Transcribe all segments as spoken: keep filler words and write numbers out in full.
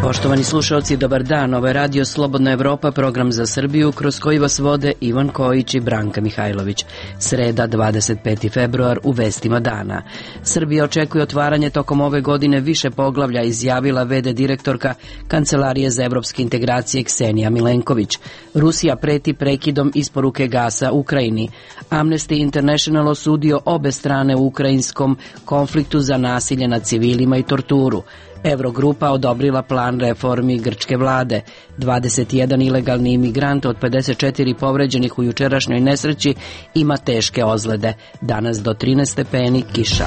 Poštovani slušalci, dobar dan. Ovo je Radio Slobodna Evropa, program za Srbiju, kroz koji vas vode Ivan Kojić i Branka Mihajlović. Sreda, dvadeset peti februar, u vestima dana. Srbija očekuje otvaranje tokom ove godine više poglavlja, izjavila ve de direktorka Kancelarije za evropske integracije Ksenija Milenković. Rusija preti prekidom isporuke gasa Ukrajini. Amnesty International osudio obe strane u ukrajinskom konfliktu za nasilje nad civilima i torturu. Eurogrupa odobrila plan reformi grčke vlade. dvadeset jedan ilegalni imigrant od pedeset četiri povređenih u jučerašnjoj nesreći ima teške ozljede. Danas do trinaest stepeni, kiša.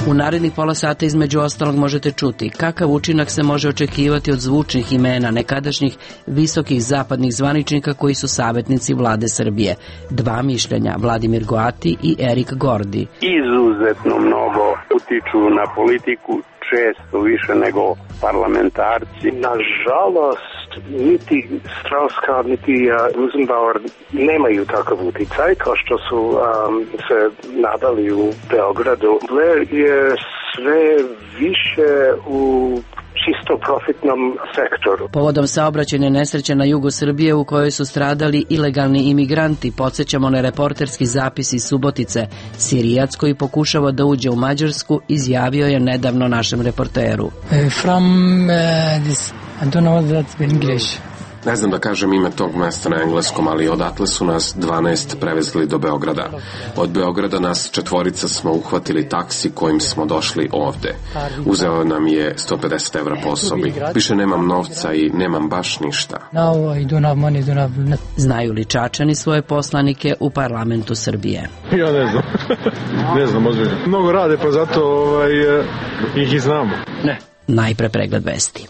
U narednih pola sata između ostalog možete čuti kakav učinak se može očekivati od zvučnih imena nekadašnjih visokih zapadnih zvaničnika koji su savjetnici vlade Srbije. Dva mišljenja, Vladimir Goati i Erik Gordi. Izuzetno mnogo utiču na politiku, često više nego parlamentarci. Nažalost, niti Strauss-Kahn, niti Rosenbauer nemaju takav uticaj kao što su um, se nadali u Beogradu. Blair je sve više u čisto profitnom sektoru. Povodom saobraćajne nesreće na jugu Srbije u kojoj su stradali ilegalni imigranti, podsjećamo na reporterski zapis iz Subotice. Sirijac koji pokušava da uđe u Mađarsku izjavio je nedavno našem reporteru. Uh, from uh, this, I don't know that's in English. Ne znam da kažem ime tog mesta na engleskom, ali odatle su nas dvanaest prevezli do Beograda. Od Beograda nas četvorica smo uhvatili taksi kojim smo došli ovde. Uzeo nam je sto pedeset evra po osobi. Više nemam novca i nemam baš ništa. Znaju li Čačani svoje poslanike u parlamentu Srbije? Ja ne znam. ne znam, ozbiljno. Mnogo rade, pa zato ovaj, ih i znamo. Ne. Najpre pregled vesti.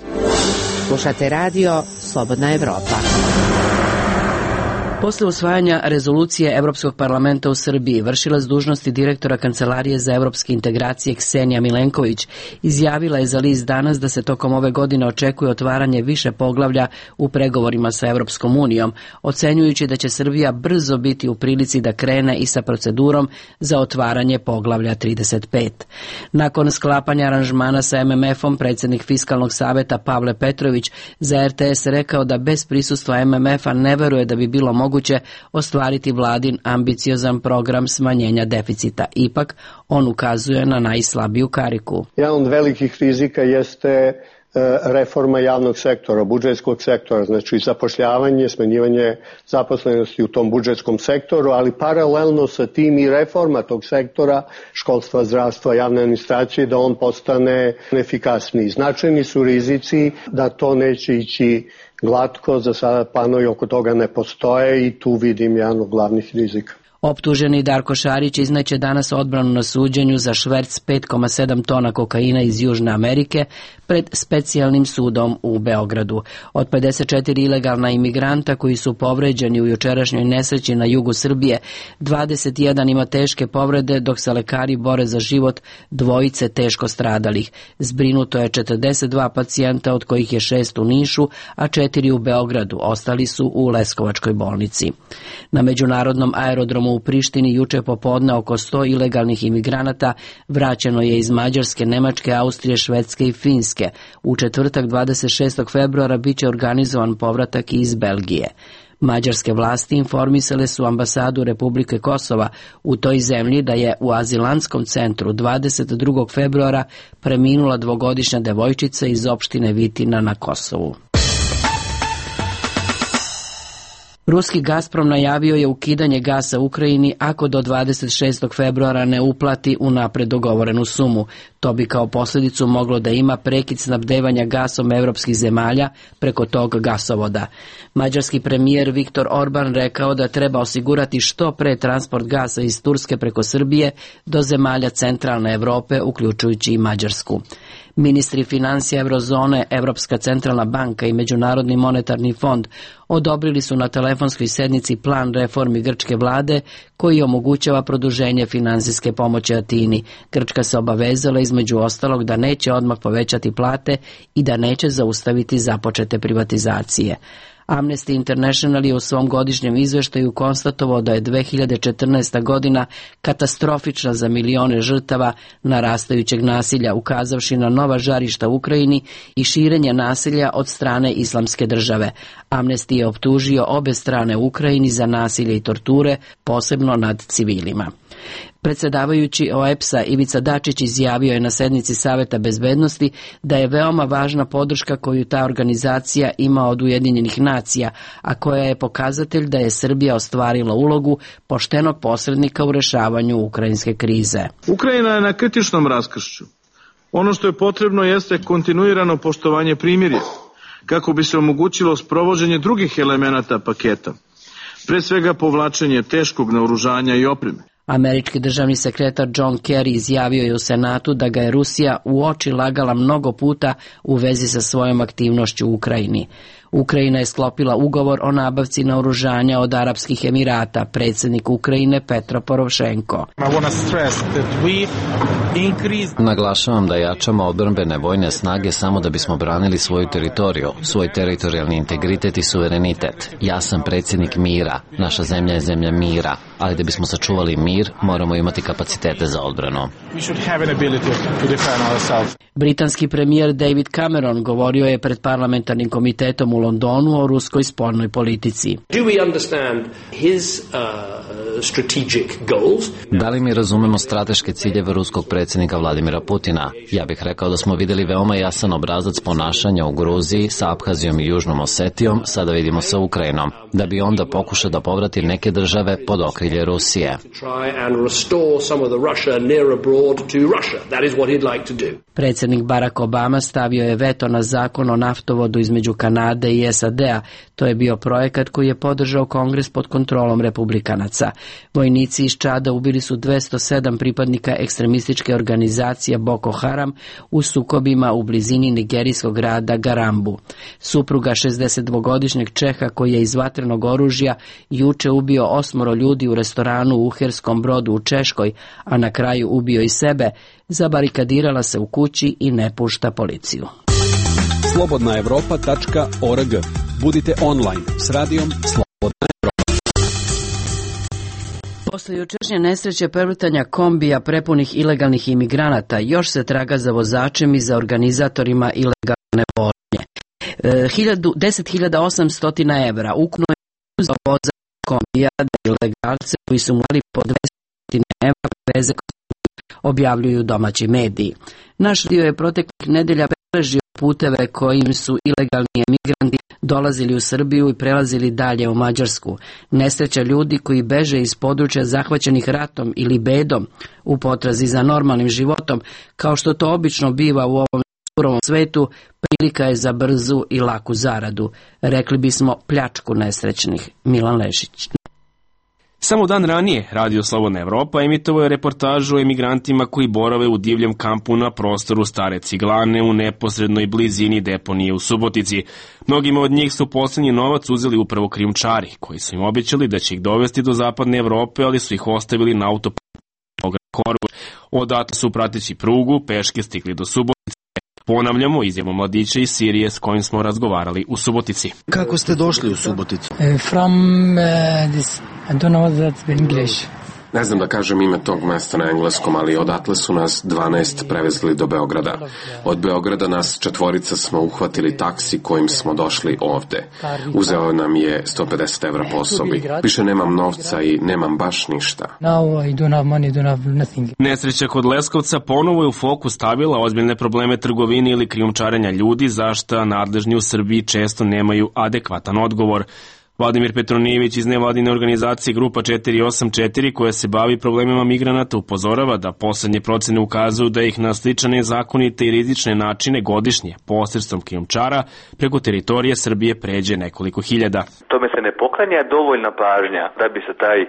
Slušate radio Slobodna Evropa. Posle usvajanja rezolucije Evropskog parlamenta u Srbiji, vršilac dužnosti direktora Kancelarije za evropske integracije Ksenija Milenković izjavila je za list Danas da se tokom ove godine očekuje otvaranje više poglavlja u pregovorima sa Evropskom unijom, ocenjujući da će Srbija brzo biti u prilici da krene i sa procedurom za otvaranje poglavlja trideset pet. Nakon sklapanja aranžmana sa em em efom, predsjednik Fiskalnog saveta Pavle Petrović za er te es rekao da bez prisustva em em efa ne veruje da bi bilo moguće moguće ostvariti vladin ambiciozan program smanjenja deficita. Ipak, on ukazuje na najslabiju kariku. Jedan od velikih rizika jeste reforma javnog sektora, budžetskog sektora, znači zapošljavanje, smanjivanje zaposlenosti u tom budžetskom sektoru, ali paralelno sa tim i reforma tog sektora, školstva, zdravstva, javne administracije, da on postane efikasniji. Značajni su rizici da to neće ići glatko, za sada planovi oko toga ne postoje i tu vidim jedan od glavnih rizika. Optuženi Darko Šarić izneće danas odbranu na suđenju za šverc pet zarez sedam tona kokaina iz Južne Amerike pred specijalnim sudom u Beogradu. Od pedeset četiri ilegalna imigranta koji su povređeni u jučerašnjoj nesreći na jugu Srbije, dvadeset jedan ima teške povrede, dok se lekari bore za život dvojice teško stradalih. Zbrinuto je četrdeset dva pacijenta, od kojih je šest u Nišu, a četiri u Beogradu. Ostali su u Leskovačkoj bolnici. Na međunarodnom aerodromu u Prištini juče popodne oko sto ilegalnih imigranata vraćeno je iz Mađarske, Nemačke, Austrije, Švedske i Finske. U četvrtak dvadeset šestog februara biće organizovan povratak iz Belgije. Mađarske vlasti informisale su ambasadu Republike Kosova u toj zemlji da je u azilantskom centru dvadeset drugog februara preminula dvogodišnja devojčica iz opštine Vitina na Kosovu. Ruski Gazprom najavio je ukidanje gasa Ukrajini ako do dvadeset šestog februara ne uplati unapred dogovorenu sumu. To bi kao posljedicu moglo da ima prekid snabdevanja gasom evropskih zemalja preko tog gasovoda. Mađarski premijer Viktor Orban rekao da treba osigurati što pre transport gasa iz Turske preko Srbije do zemalja centralne Evrope, uključujući i Mađarsku. Ministri financija Eurozone, Evropska centralna banka i Međunarodni monetarni fond odobrili su na telefonskoj sednici plan reformi grčke vlade koji omogućava produženje finansijske pomoći Atini. Grčka se obavezala između ostalog da neće odmah povećati plate i da neće zaustaviti započete privatizacije. Amnesty International je u svom godišnjem izveštaju konstatovao da je dve hiljade četrnaesta godina katastrofična za milione žrtava narastajućeg nasilja, ukazavši na nova žarišta u Ukrajini i širenje nasilja od strane Islamske države. Amnesty je optužio obe strane u Ukrajini za nasilje i torture, posebno nad civilima. Predsjedavajući O E P S-a Ivica Dačić izjavio je na sednici Saveta bezbednosti da je veoma važna podrška koju ta organizacija ima od Ujedinjenih nacija, a koja je pokazatelj da je Srbija ostvarila ulogu poštenog posrednika u rešavanju ukrajinske krize. Ukrajina je na kritičnom raskršću. Ono što je potrebno jeste kontinuirano poštovanje primirja, kako bi se omogućilo sprovođenje drugih elemenata paketa, pre svega povlačenje teškog naoružanja i opreme. Američki državni sekretar John Kerry izjavio je u Senatu da ga je Rusija u oči lagala mnogo puta u vezi sa svojom aktivnošću u Ukrajini. Ukrajina je sklopila ugovor o nabavci naoružanja od Arapskih Emirata, predsjednik Ukrajine Petro Porošenko. Naglašavam da jačamo odbrambene vojne snage samo da bismo branili svoju teritoriju, svoj teritorijalni integritet i suverenitet. Ja sam predsjednik mira, naša zemlja je zemlja mira, ali da bismo sačuvali mir, moramo imati kapacitete za odbranu. Britanski premijer David Cameron govorio je pred parlamentarnim komitetom u Londonu o ruskoj spoljnoj politici. Da li mi razumemo strateške ciljeve ruskog predsjednika Vladimira Putina? Ja bih rekao da smo vidjeli veoma jasan obrazac ponašanja u Gruziji, sa Abhazijom i Južnom Osetijom, sada vidimo sa Ukrajinom, da bi onda pokušao da povrati neke države pod okrilje Rusije. Predsjednik Barack Obama stavio je veto na zakon o naftovodu između Kanade i S A D-a. To je bio projekat koji je podržao Kongres pod kontrolom republikanaca. Vojnici iz Čada ubili su dvesta sedam pripadnika ekstremističke organizacije Boko Haram u sukobima u blizini nigerijskog grada Garambu. Supruga šezdesetdvogodišnjeg Čeha koji je iz vatrenog oružja juče ubio osmoro ljudi u restoranu u Uherskom Brodu u Češkoj, a na kraju ubio i sebe, zabarikadirala se u kući i ne pušta policiju. slobodna evropa tačka org. Budite online s radijom Slobodna Evropa. Posle jučerašnje nesreće prevrtanja kombija prepunih ilegalnih imigranata, još se traga za vozačem i za organizatorima ilegalne vožnje. E, deset hiljada osamsto evra ukupno je za vozač kombija da ilegalce koji su morali po dvesta evra veze, objavljuju domaći mediji. Naš dio je proteklih nedelja beležio puteve kojim su ilegalni emigranti dolazili u Srbiju i prelazili dalje u Mađarsku. Nesreća ljudi koji beže iz područja zahvaćenih ratom ili bedom u potrazi za normalnim životom, kao što to obično biva u ovom surovom svetu, prilika je za brzu i laku zaradu. Rekli bismo pljačku nesrećnih. Milan Lešić. Samo dan ranije Radio Slobodna Evropa emitovao je reportažu o emigrantima koji borave u divljem kampu na prostoru Stare Ciglane u neposrednoj blizini deponije u Subotici. Mnogima od njih su poslednji novac uzeli upravo krijumčari, koji su im obećali da će ih dovesti do zapadne Evrope, ali su ih ostavili na autoputu. Odatle su prateći prugu peške stigli do Subotice. Ponavljamo izjavu mladića iz Sirije s kojim smo razgovarali u Subotici. Kako ste došli u Suboticu? Uh, from uh, this, I don't know what that's in English. Ne znam da kažem ime tog mesta na engleskom, ali odatle su nas dvanaest prevezli do Beograda. Od Beograda nas četvorica smo uhvatili taksi kojim smo došli ovde. Uzeo nam je sto pedeset evra po osobi. Više nemam novca i nemam baš ništa. Now I don't have money, don't have nothing. Nesreća kod Leskovca ponovo je u fokus stavila ozbiljne probleme trgovine ili krijumčarenja ljudi, za šta nadležni u Srbiji često nemaju adekvatan odgovor. Vladimir Petronijević iz nevladine organizacije Grupa četiri osam četiri, koja se bavi problemima migranata, upozorava da poslednje procene ukazuju da ih na slične nezakonite i rizične načine godišnje posredstvom krijumčara preko teritorije Srbije pređe nekoliko hiljada. Tome se ne poklanja dovoljna pažnja da bi se taj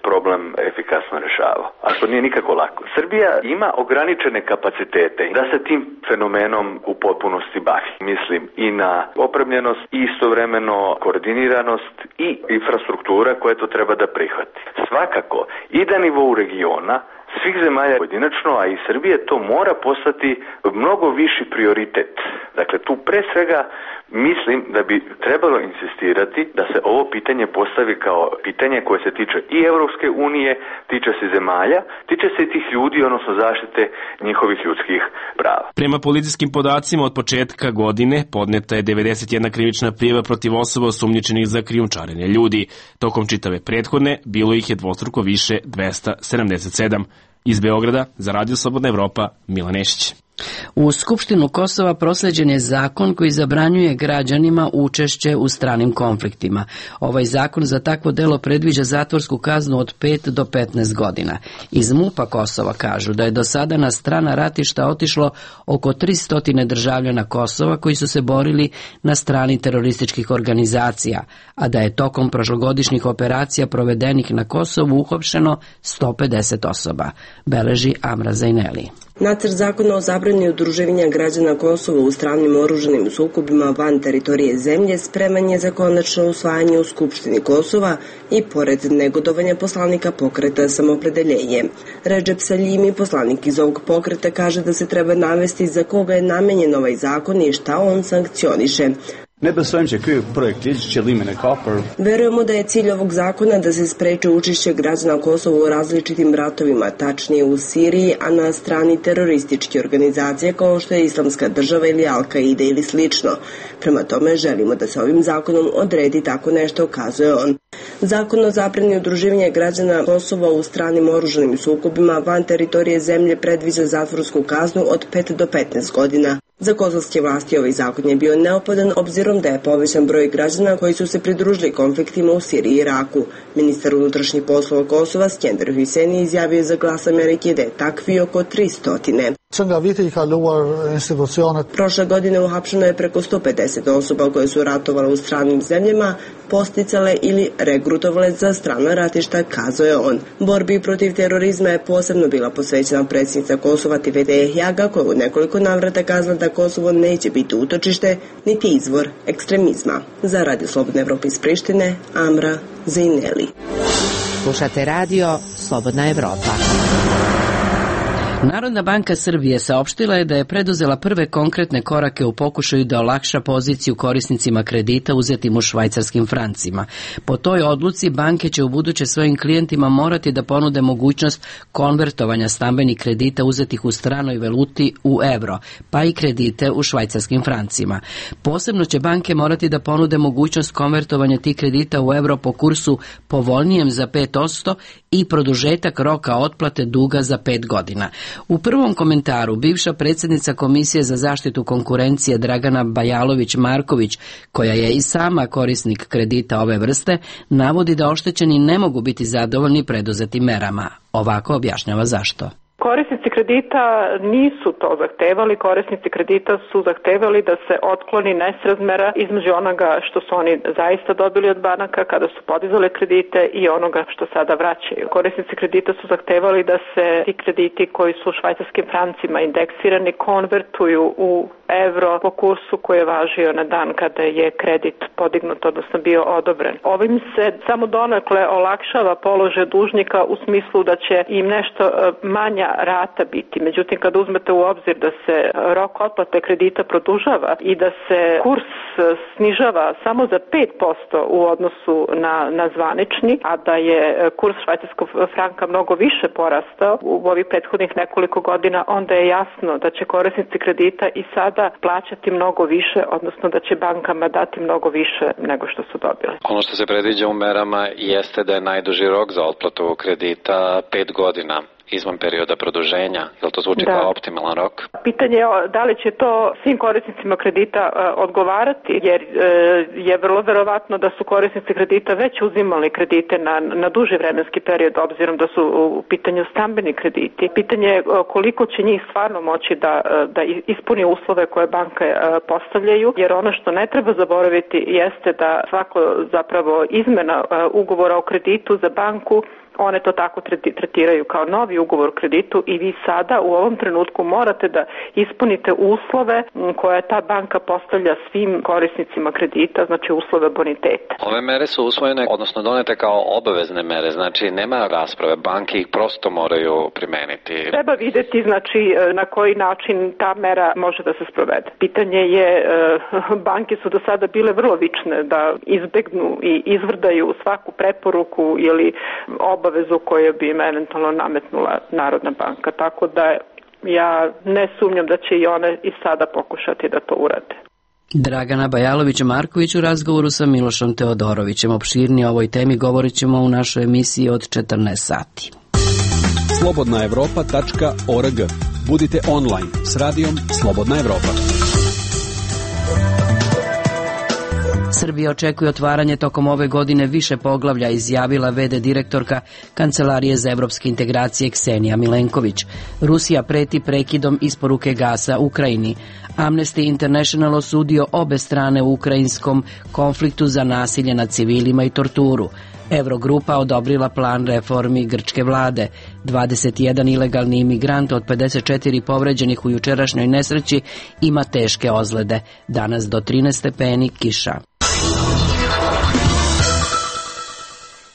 problem efikasno rešavao, a što nije nikako lako. Srbija ima ograničene kapacitete da se tim fenomenom u potpunosti bavi. Mislim i na opremljenost i istovremeno koordiniranost i infrastruktura koja to treba da prihvati. Svakako i da nivou regiona svih zemalja pojedinačno, a i Srbije, to mora postati mnogo viši prioritet. Dakle, tu pre svega mislim da bi trebalo insistirati da se ovo pitanje postavi kao pitanje koje se tiče i Evropske unije, tiče se zemalja, tiče se i tih ljudi, odnosno zaštite njihovih ljudskih prava. Prema policijskim podacima od početka godine podneta je devedeset jedna krivična prijava protiv osoba osumnjičenih za krijumčarenje ljudi. Tokom čitave prethodne bilo ih je dvostruko više, dvesta sedamdeset sedam. Iz Beograda za Radio Slobodna Evropa, Milan Nešić. U Skupštinu Kosova prosleđen je zakon koji zabranjuje građanima učešće u stranim konfliktima. Ovaj zakon za takvo delo predviđa zatvorsku kaznu od pet do petnaest godina. Iz MUP-a Kosova kažu da je do sada na strana ratišta otišlo oko tristo državljana Kosova koji su se borili na strani terorističkih organizacija, a da je tokom prošlogodišnjih operacija provedenih na Kosovu uhapšeno sto pedeset osoba, beleži Amra Zajneli. Nacrt zakona o zabrani udruživanja građana Kosova u stranim oružanim sukobima van teritorije zemlje spreman je za konačno usvajanje u Skupštini Kosova i pored negodovanja poslanika pokreta Samopredeljenje. Redžep Saljimi, poslanik iz ovog pokreta, kaže da se treba navesti za koga je namenjen ovaj zakon i šta on sankcioniše. Verujemo da je cilj ovog zakona da se spreči učešće građana Kosova u različitim ratovima, tačnije u Siriji, a na strani terorističke organizacije kao što je Islamska država ili Al-Qaida ili slično. Prema tome želimo da se ovim zakonom odredi tako nešto, kazuje on. Zakon o zabrani udruživanja građana Kosova u stranim oružanim sukobima van teritorije zemlje predviđa zatvorsku kaznu od pet do petnaest godina. Za kosovske vlasti ovaj zakon je bio neophodan obzirom da je povećan broj građana koji su se pridružili konfliktima u Siriji i Iraku. Ministar unutrašnjih poslova Kosova Skender Hyseni izjavio za Glas Amerike da je takvi oko tristo. Prošle godine uhapšeno je preko sto pedeset osoba koje su ratovale u stranim zemljama, posticale ili regrutovale za strana ratišta, kazao je on. Borbi protiv terorizma je posebno bila posvećena predsjednica Kosova Tivete Ehjaga, koja u nekoliko navrata kazala da Kosovo neće biti utočište niti izvor ekstremizma. Za Radio Slobodna Evropa iz Prištine, Amra Zajneli. Slušate radio Slobodna Evropa. Narodna banka Srbije saopštila je da je preduzela prve konkretne korake u pokušaju da olakša poziciju korisnicima kredita uzetim u švajcarskim francima. Po toj odluci banke će ubuduće svojim klijentima morati da ponude mogućnost konvertovanja stambenih kredita uzetih u stranoj valuti u evro, pa i kredite u švajcarskim francima. Posebno će banke morati da ponude mogućnost konvertovanja tih kredita u evro po kursu povoljnijem za pet posto i produžetak roka otplate duga za pet godina. U prvom komentaru bivša predsjednica Komisije za zaštitu konkurencije Dragana Bajalović-Marković, koja je i sama korisnik kredita ove vrste, navodi da oštećeni ne mogu biti zadovoljni preduzetim merama. Ovako objašnjava zašto. Korisnici kredita nisu to zahtevali, korisnici kredita su zahtevali da se otkloni nesrazmera između onoga što su oni zaista dobili od banaka kada su podizali kredite i onoga što sada vraćaju. Korisnici kredita su zahtevali da se ti krediti koji su u švajcarskim francima indeksirani konvertuju u evro po kursu koji je važio na dan kada je kredit podignut, odnosno bio odobren. Ovim se samo donekle olakšava položaj dužnika u smislu da će im nešto manja rata biti. Međutim, kad uzmete u obzir da se rok otplate kredita produžava i da se kurs snižava samo za pet posto u odnosu na, na zvanični, a da je kurs švajcarskog franka mnogo više porastao u ovih prethodnih nekoliko godina, onda je jasno da će korisnici kredita i sada plaćati mnogo više, odnosno da će bankama dati mnogo više nego što su dobili. Ono što se predviđa u merama jeste da je najduži rok za otplatu kredita pet godina izvan perioda produženja. Je li to zvuči kao optimalan rok? Pitanje je da li će to svim korisnicima kredita uh, odgovarati, jer uh, je vrlo verovatno da su korisnici kredita već uzimali kredite na, na duži vremenski period, obzirom da su u pitanju stambeni krediti. Pitanje je uh, koliko će njih stvarno moći da, uh, da ispuni uslove koje banke uh, postavljaju, jer ono što ne treba zaboraviti jeste da svako zapravo izmena uh, ugovora o kreditu za banku one to tako tretiraju kao novi ugovor o kreditu i vi sada u ovom trenutku morate da ispunite uslove koje ta banka postavlja svim korisnicima kredita, znači uslove boniteta. Ove mere su usvojene, odnosno donete kao obavezne mere, znači nema rasprave, banke ih prosto moraju primeniti. Treba videti znači na koji način ta mera može da se sprovede. Pitanje je, banke su do sada bile vrlo vične da izbegnu i izvrdaju svaku preporuku ili obavezu koju bi im eventualno nametnula Narodna banka, tako da ja ne sumnjam da će i one i sada pokušati da to urade. Dragana Bajalović-Marković u razgovoru sa Milošom Teodorovićem. Opširnije o ovoj temi govorit ćemo u našoj emisiji od četrnaest sati. slobodna evropa tačka org. Budite online s radijom Slobodna Evropa. Srbija očekuje otvaranje tokom ove godine više poglavlja, izjavila ve de direktorka Kancelarije za evropske integracije Ksenija Milenković. Rusija preti prekidom isporuke gasa Ukrajini. Amnesty International osudio obe strane u ukrajinskom konfliktu za nasilje nad civilima i torturu. Eurogrupa odobrila plan reformi grčke vlade. dvadeset jedan ilegalni imigrant od pedeset četiri povređenih u jučerašnjoj nesreći ima teške ozljede. Danas do trinaest stepeni kiša.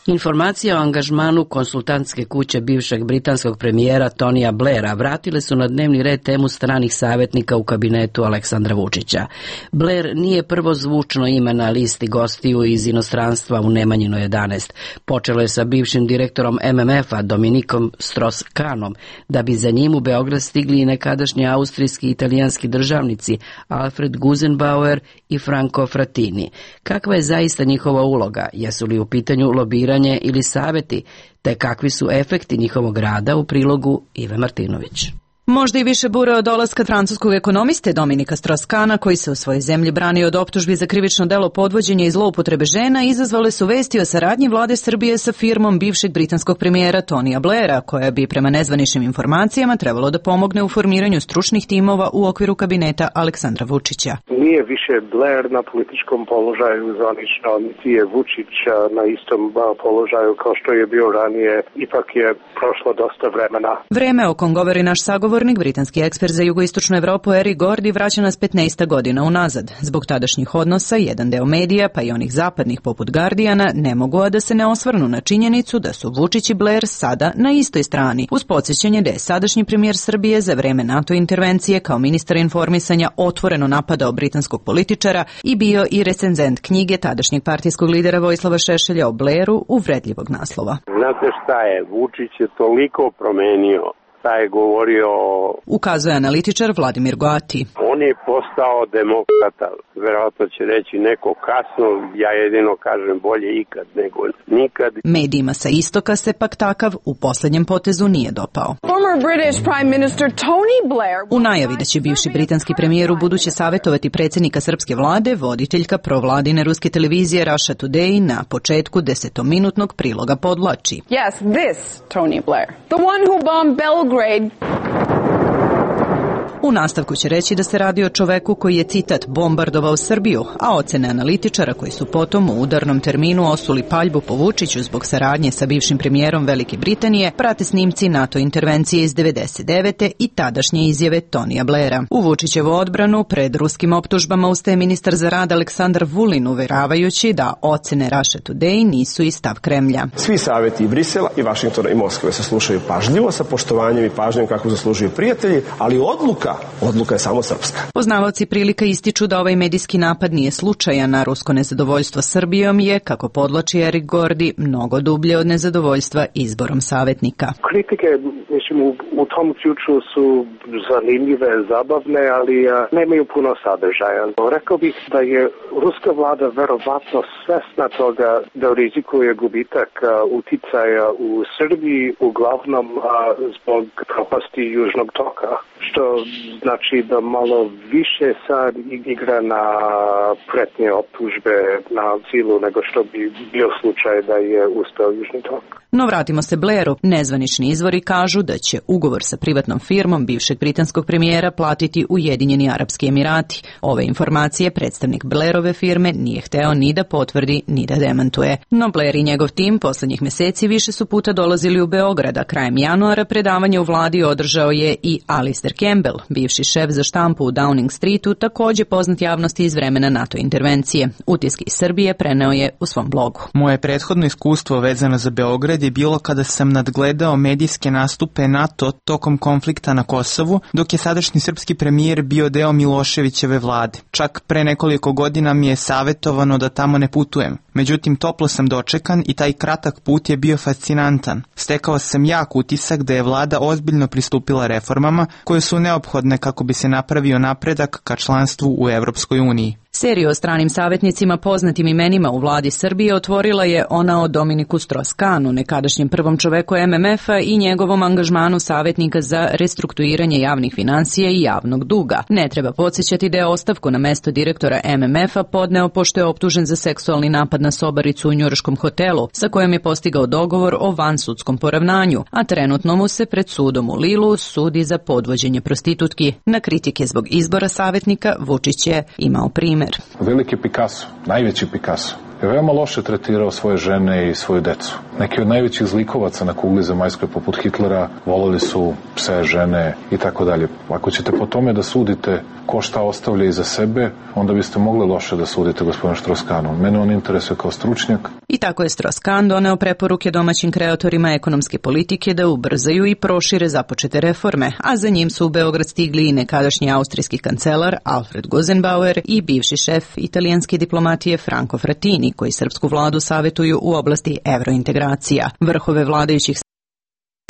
Informacije o angažmanu konsultantske kuće bivšeg britanskog premijera Tonija Blaira vratile su na dnevni red temu stranih savjetnika u kabinetu Aleksandra Vučića. Blair nije prvo zvučno ime na listi gostiju iz inostranstva u Nemanjino jedanaest. Počelo je sa bivšim direktorom em em ef-a Dominikom Strauss-Kahnom, da bi za njim u Beograd stigli i nekadašnji austrijski i italijanski državnici Alfred Gusenbauer i Franco Frattini. Kakva je zaista njihova uloga? Jesu li u pitanju lobiranja ili saveti, te kakvi su efekti njihovog rada, u prilogu Ive Martinović. Možda i više bure od dolaska francuskog ekonomiste Dominika Strauss-Kahna, koji se u svojoj zemlji brani od optužbi za krivično delo podvođenja i zloupotrebe žena, izazvale su vesti o saradnji vlade Srbije sa firmom bivšeg britanskog premijera Tonija Blaira, koja bi prema nezvaničnim informacijama trebalo da pomogne u formiranju stručnih timova u okviru kabineta Aleksandra Vučića. Nije više Blair na političkom položaju zvanično, niti je Vučić na istom položaju kao što je bio ranije, ipak je prošlo dosta vremena. Vreme o kom govori naš sagovor britanski ekspert za jugoistočnu Evropu Eric Gordy vraća nas petnaest godina unazad. Zbog tadašnjih odnosa, jedan deo medija, pa i onih zapadnih poput Guardiana, ne mogu a da se ne osvrnu na činjenicu da su Vučić i Blair sada na istoj strani, uz podsjećanje da je sadašnji premijer Srbije za vreme NATO intervencije kao ministar informisanja otvoreno napadao britanskog političara i bio i recenzent knjige tadašnjeg partijskog lidera Vojislava Šešelja o Blairu uvredljivog naslova. Znate šta je, Vučić je toliko promenio. Šta je govorio... Ukazuje analitičar Vladimir Goati. On je postao demokrata. Verovatno će reći neko kasno, ja jedino kažem bolje ikad nego nikad. Medijima sa istoka se pak takav u posljednjem potezu nije dopao. U najavi da će bivši britanski premijer u buduće savjetovati predsjednika srpske vlade, voditeljka provladine ruske televizije Russia Today na početku desetominutnog priloga podlači. Yes, this Tony Blair. The one who bombed Belgrade. U nastavku će reći da se radi o čoveku koji je, citat, bombardovao Srbiju, a ocene analitičara koji su potom u udarnom terminu osuli paljbu po Vučiću zbog saradnje sa bivšim premijerom Velike Britanije prate snimci NATO intervencije iz devedeset devete i tadašnje izjave Tonija Blaira. U Vučićevu odbranu pred ruskim optužbama ustaje ministar za rad Aleksandar Vulin, uveravajući da ocene Russia Today nisu i stav Kremlja. Svi savjeti i Brisela i Vašingtona i Moskve se slušaju pažljivo, sa poštovanjem i pažnjom kako zaslužuju prijatelji, ali odluka Odluka je samo srpska. Poznavaoci prilika ističu da ovaj medijski napad nije slučajan, a rusko nezadovoljstvo Srbijom je, kako podlači Eric Gordy, mnogo dublje od nezadovoljstva izborom savjetnika. Kritike, mislim, u, u tom ključu su zanimljive, zabavne, ali a, nemaju puno sadržaja. Rekao bih da je ruska vlada verovatno svesna toga da rizikuje gubitak a, uticaja u Srbiji, uglavnom a, zbog propasti Južnog toka, što znači da malo više sad igra na pretnje optužbe na silu nego što bi bio slučaj da je ustao Južni tok. No vratimo se Blairu. Nezvanični izvori kažu da će ugovor sa privatnom firmom bivšeg britanskog premijera platiti Ujedinjeni Arapski Emirati. Ove informacije predstavnik Blairove firme nije hteo ni da potvrdi ni da demantuje. No Blair i njegov tim poslednjih meseci više su puta dolazili u Beograd, a krajem januara predavanje u vladi održao je i Alistair Campbell, bivši šef za štampu u Downing Streetu, takođe poznat javnosti iz vremena NATO intervencije. Utiske iz Srbije preneo je u svom blogu. Moje prethodno iskustvo vezano za Beograd je bilo kada sam nadgledao medijske nastupe NATO tokom konflikta na Kosovu, dok je sadašnji srpski premijer bio deo Miloševićeve vlade. Čak pre nekoliko godina mi je savjetovano da tamo ne putujem. Međutim, toplo sam dočekan i taj kratak put je bio fascinantan. Stekao sam jak utisak da je vlada ozbiljno pristupila reformama koje su neophodne kako bi se napravio napredak ka članstvu u Evropskoj uniji. Seriju o stranim savjetnicima poznatim imenima u vladi Srbije otvorila je ona o Dominiku Strauss-Kahnu, nekadašnjem prvom čoveku em em ef-a i njegovom angažmanu savjetnika za restrukturiranje javnih financija i javnog duga. Ne treba podsjećati da je ostavku na mesto direktora em em ef-a podneo pošto je optužen za seksualni napad na sobaricu u njujorškom hotelu, sa kojom je postigao dogovor o vansudskom poravnanju, a trenutno mu se pred sudom u Lilu sudi za podvođenje prostitutki. Na kritike zbog izbora savjetnika Vučić je imao primjer. Veliki Picasso, najveći Picasso, je veoma loše tretirao svoje žene i svoju decu. Neki od najvećih zlikovaca na kugli zemaljskoj poput Hitlera voleli su pse, žene i tako dalje. Ako ćete po tome da sudite ko šta ostavlja iza sebe, onda biste mogli loše da sudite gospodinu Strauss-Kahnu. Mene on interesuje kao stručnjak. I tako je Strauss-Kahn doneo preporuke domaćim kreatorima ekonomske politike da ubrzaju i prošire započete reforme, a za njim su u Beograd stigli i nekadašnji austrijski kancelar Alfred Gusenbauer i bivši šef italijanske diplomatije Franco Frattini, koji srpsku vladu savjetuju u oblasti evrointegracija. Vrhove vladajućih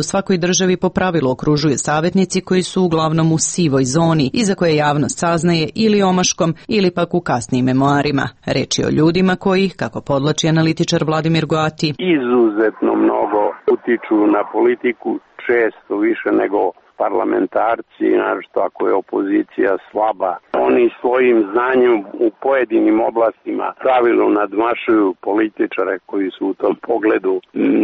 u svakoj državi po pravilu okružuju savjetnici koji su uglavnom u sivoj zoni i za koje javnost saznaje ili omaškom ili pak u kasnijim memoarima. Reč je o ljudima koji, kako podlači analitičar Vladimir Goati, izuzetno mnogo utiču na politiku, često više nego parlamentarci, naročito ako je opozicija slaba. Oni svojim znanjem u pojedinim oblastima pravilno nadmašuju političare koji su u tom pogledu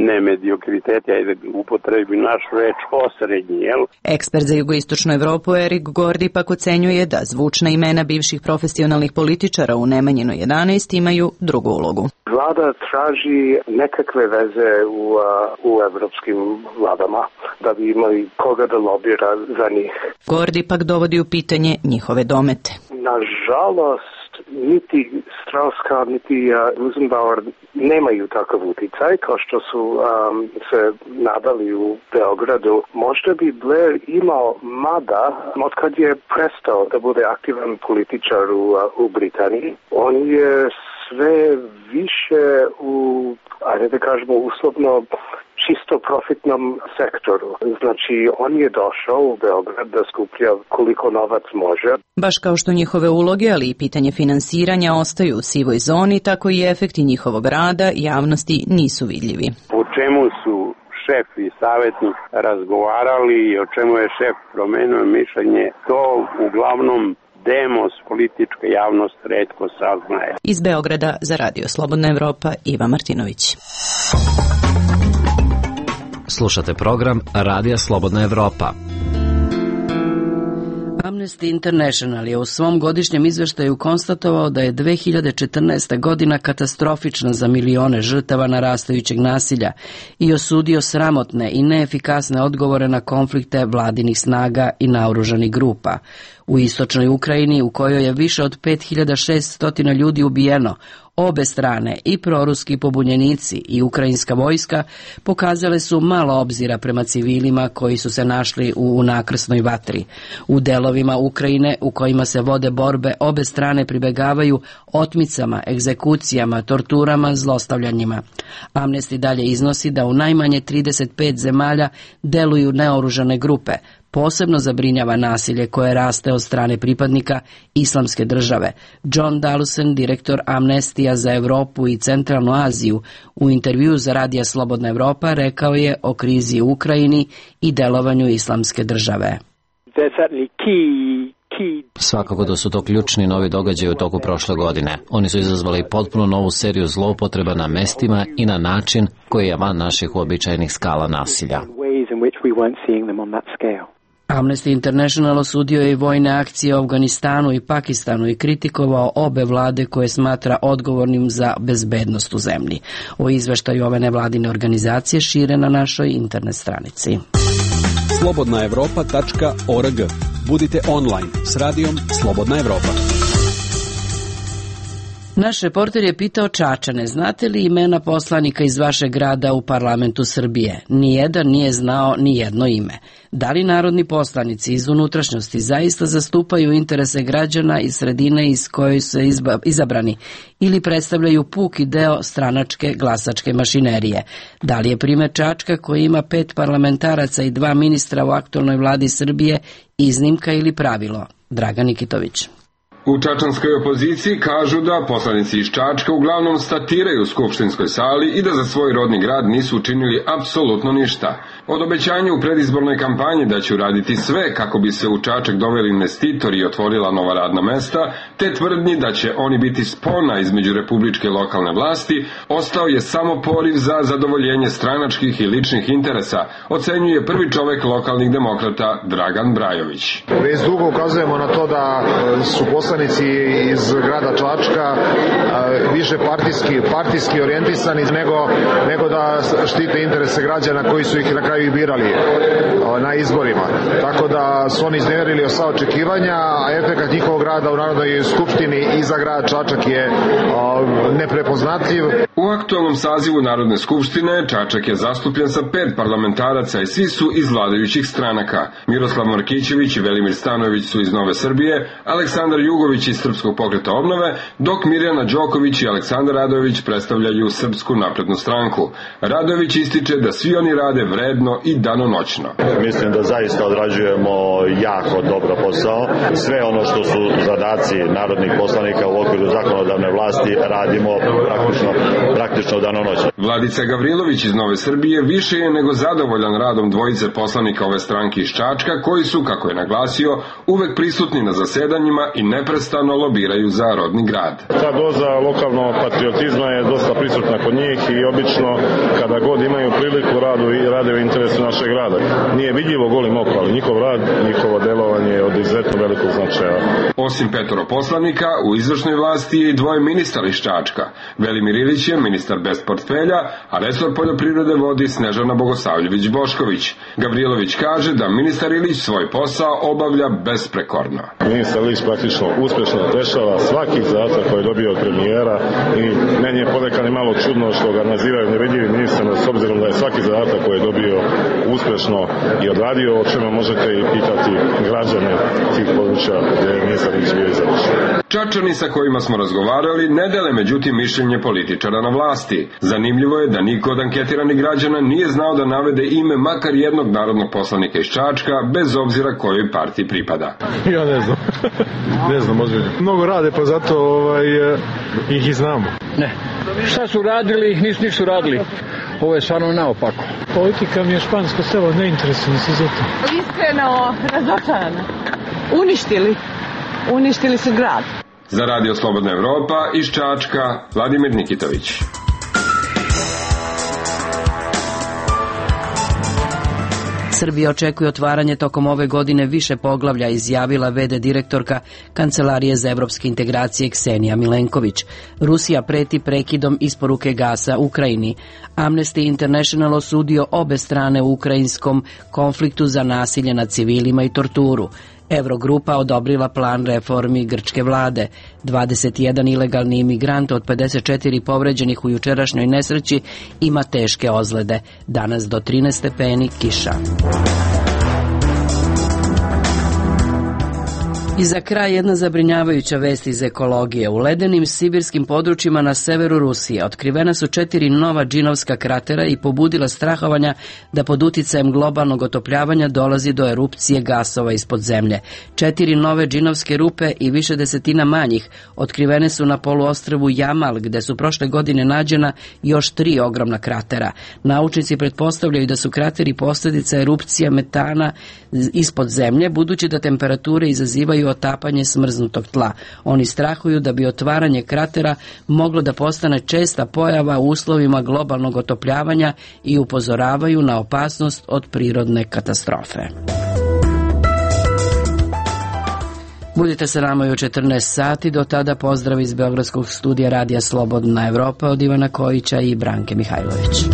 ne mediokriteti, ajde upotrebi našu reč osrednji, jel? Ekspert za jugoistočnu Evropu Erik Gordi pak ocenjuje da zvučna imena bivših profesionalnih političara u Nemanjinoj jedanaest imaju drugu ulogu. Vlada traži nekakve veze u, u evropskim vladama da bi imali koga da lobira za njih. Gordi pak dovodi u pitanje njihove domete. Nažalost, niti Strauss-Kahn, niti uh, Gusenbauer nemaju takav uticaj kao što su um, se nadali u Beogradu. Možda bi Blair imao, mada od kad je prestao da bude aktivan političar u, uh, u Britaniji, on je sve više u, ajde da kažemo, uslovno čisto profitnom sektoru. Znači, on je došao u Beograd da skuplja koliko novac može. Baš kao što njihove uloge, ali i pitanje finansiranja ostaju u sivoj zoni, tako i efekti njihovog rada javnosti nisu vidljivi. O čemu su šef i savjetnik razgovarali i o čemu je šef promenio mišljenje, to uglavnom demos, politička javnost retko saznaje. Iz Beograda za Radio Slobodna Evropa, Iva Martinović. Slušate program Radija Slobodna Evropa. Amnesty International je u svom godišnjem izveštaju konstatovao da je dve hiljade četrnaesta. godina katastrofična za milione žrtava narastajućeg nasilja i osudio sramotne i neefikasne odgovore na konflikte vladinih snaga i naoružanih grupa. U istočnoj Ukrajini, u kojoj je više od pet hiljada šesto ljudi ubijeno, obe strane, i proruski pobunjenici i ukrajinska vojska, pokazale su malo obzira prema civilima koji su se našli u nakrsnoj vatri. U delovima Ukrajine u kojima se vode borbe, obe strane pribegavaju otmicama, egzekucijama, torturama, zlostavljanjima. Amnesty dalje iznosi da u najmanje trideset pet zemalja deluju neoružane grupe. Posebno zabrinjava nasilje koje raste od strane pripadnika Islamske države. John Dalusen, direktor Amnestija za Evropu i Centralnu Aziju, u intervju za Radija Slobodna Evropa rekao je o krizi u Ukrajini i delovanju Islamske države. they're certainly key Svakako da su to ključni novi događaji u toku prošle godine. Oni su izazvali potpuno novu seriju zloupotreba na mestima i na način koji je van naših uobičajenih skala nasilja. Amnesty International osudio je i vojne akcije u Afganistanu i Pakistanu i kritikovao obe vlade koje smatra odgovornim za bezbednost u zemlji. O izveštaju ove nevladine organizacije šire na našoj internet stranici. slobodna evropa tačka org. Budite online s radijom Slobodna Evropa. Naš reporter je pitao Čačane, znate li imena poslanika iz vašeg grada u parlamentu Srbije? Nijedan nije znao ni jedno ime. Da li narodni poslanici iz unutrašnjosti zaista zastupaju interese građana iz sredine iz koje su izabrani ili predstavljaju puki deo stranačke glasačke mašinerije? Da li je primer Čačka koji ima pet parlamentaraca i dva ministra u aktualnoj vladi Srbije iznimka ili pravilo? Dragan Nikitović. U čačanskoj opoziciji kažu da poslanici iz Čačka uglavnom statiraju u skupštinskoj sali i da za svoj rodni grad nisu učinili apsolutno ništa. Od obećanja u predizbornoj kampanji da će uraditi sve kako bi se u Čačak doveli investitori i otvorila nova radna mesta, te tvrdnji da će oni biti spona između republičke i lokalne vlasti, ostao je samo poriv za zadovoljenje stranačkih i ličnih interesa, ocenjuje prvi čovek lokalnih demokrata Dragan Brajović. Već dugo ukazujemo na to da su poslanici iz grada Čačka više partijski, partijski orijentisani nego, nego da štite interese građana koji su ih na kraju i birali na izborima. Tako da su oni izneverili sva očekivanja, a efekat njihovog rada u Narodnoj skupštini i za grad Čačak je neprepoznatljiv. U aktualnom sazivu Narodne skupštine Čačak je zastupljen sa pet parlamentaraca i svi su iz vladajućih stranaka. Miroslav Markićević i Velimir Stanojević su iz Nove Srbije, Aleksandar Jugović iz Srpskog pokreta obnove, dok Mirjana Đoković i Aleksandar Radojević predstavljaju Srpsku naprednu stranku. Radojević ističe da svi oni rade vredno i danonoćno. Mislim da zaista odrađujemo jako dobro posao. Sve ono što su zadaci narodnih poslanika u okviru zakonodavne vlasti radimo praktično, praktično danonoćno. Vladica Gavrilović iz Nove Srbije više je nego zadovoljan radom dvojice poslanika ove stranke iz Čačka, koji su, kako je naglasio, uvek prisutni na zasedanjima i neprestano lobiraju za rodni grad. Ta doza lokalnog patriotizma je dosta prisutna kod njih i obično kada god imaju priliku radu i rade u interesu našeg grada. Nije vidljivo golim okom, ali njihov rad, njihovo delovanje je od izuzetno velikog značaja. Osim petoro poslanika, u izvršnoj vlasti je i dvoje ministara iz Čačka. Velimir Ilić je ministar bez portfelja, a resor poljoprivrede vodi Snežana Bogosavljević Bošković. Gavrilović kaže da ministar Ilić svoj posao obavlja besprekorno. Ministar Ilić praktično uspešno rešava svaki zadatak koji je dobio od premijera i meni je ponekad malo čudno što ga nazivaju nevidljivim ministrom, s obzirom da je svaki zadatak koji je dobio uspešno i odradio, o čemu možete i pitati građane tih područja gdje je ministar Ilić bio izabran. Čačani sa kojima smo razgovarali ne dele međutim mišljenje političara na vlasti. Zanimljivo je da niko od anketiranih građana nije znao da navede ime makar jednog narodnog poslanika iz Čačka, bez obzira kojoj partiji pripada. Ja ne znam. Ne znam, ozbiljno. Mnogo rade, pa zato ovaj, ih i znamo. Ne. Šta su radili, nisu nisu radili. Ovo je stvarno naopako. Politika mi je špansko selo, ne interesujem se za to. Iskreno razočarana. Uništili. Uništili su grad. Za Radio Slobodna Evropa iz Čačka, Vladimir Nikitović. Srbija očekuje otvaranje tokom ove godine više poglavlja, izjavila ve de direktorka Kancelarije za evropske integracije Ksenija Milenković. Rusija preti prekidom isporuke gasa Ukrajini. Amnesty International osudio obe strane u ukrajinskom konfliktu za nasilje nad civilima i torturu. Evrogrupa odobrila plan reformi grčke vlade. dvadeset jedan ilegalni imigrant od pedeset četiri povređenih u jučerašnjoj nesreći ima teške ozlede. Danas do trinaest stepeni kiša. I za kraj jedna zabrinjavajuća vest iz ekologije. U ledenim sibirskim područjima na severu Rusije otkrivena su četiri nova džinovska kratera i pobudila strahovanja da pod uticajem globalnog otopljavanja dolazi do erupcije gasova ispod zemlje. Četiri nove džinovske rupe i više desetina manjih otkrivene su na poluostrvu Jamal, gde su prošle godine nađena još tri ogromna kratera. Naučnici pretpostavljaju da su krateri posljedica erupcija metana ispod zemlje, budući da temperature izazivaju otapanje smrznutog tla. Oni strahuju da bi otvaranje kratera moglo da postane česta pojava u uslovima globalnog otopljavanja i upozoravaju na opasnost od prirodne katastrofe. Budite sa nama i u četrnaest sati, do tada pozdrav iz Beogradskog studija Radija Slobodna Evropa od Ivana Kojića i Branke Mihajlović.